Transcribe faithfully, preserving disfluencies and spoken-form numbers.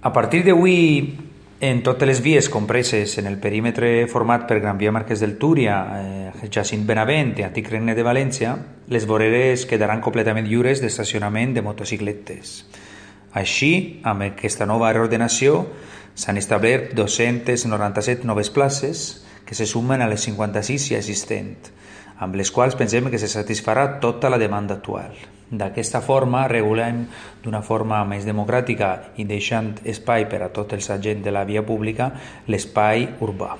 A partir d'avui, en totes les vies compreses en el perímetre format per Gran Via Marquès del Túria, eh, Jacint Benavent i Antic Regne de València, les voreres quedaran completament lliures d'estacionament de motocicletes. Així, amb aquesta nova reordenació, s'han establert dos-centes noranta-set noves places que se sumen a les cinquanta-sis ja existents, amb les quals pensem que se satisfarà tota la demanda actual. D'aquesta forma, regulem d'una forma més democràtica i deixant espai per a tots els agents de la via pública l'espai urbà.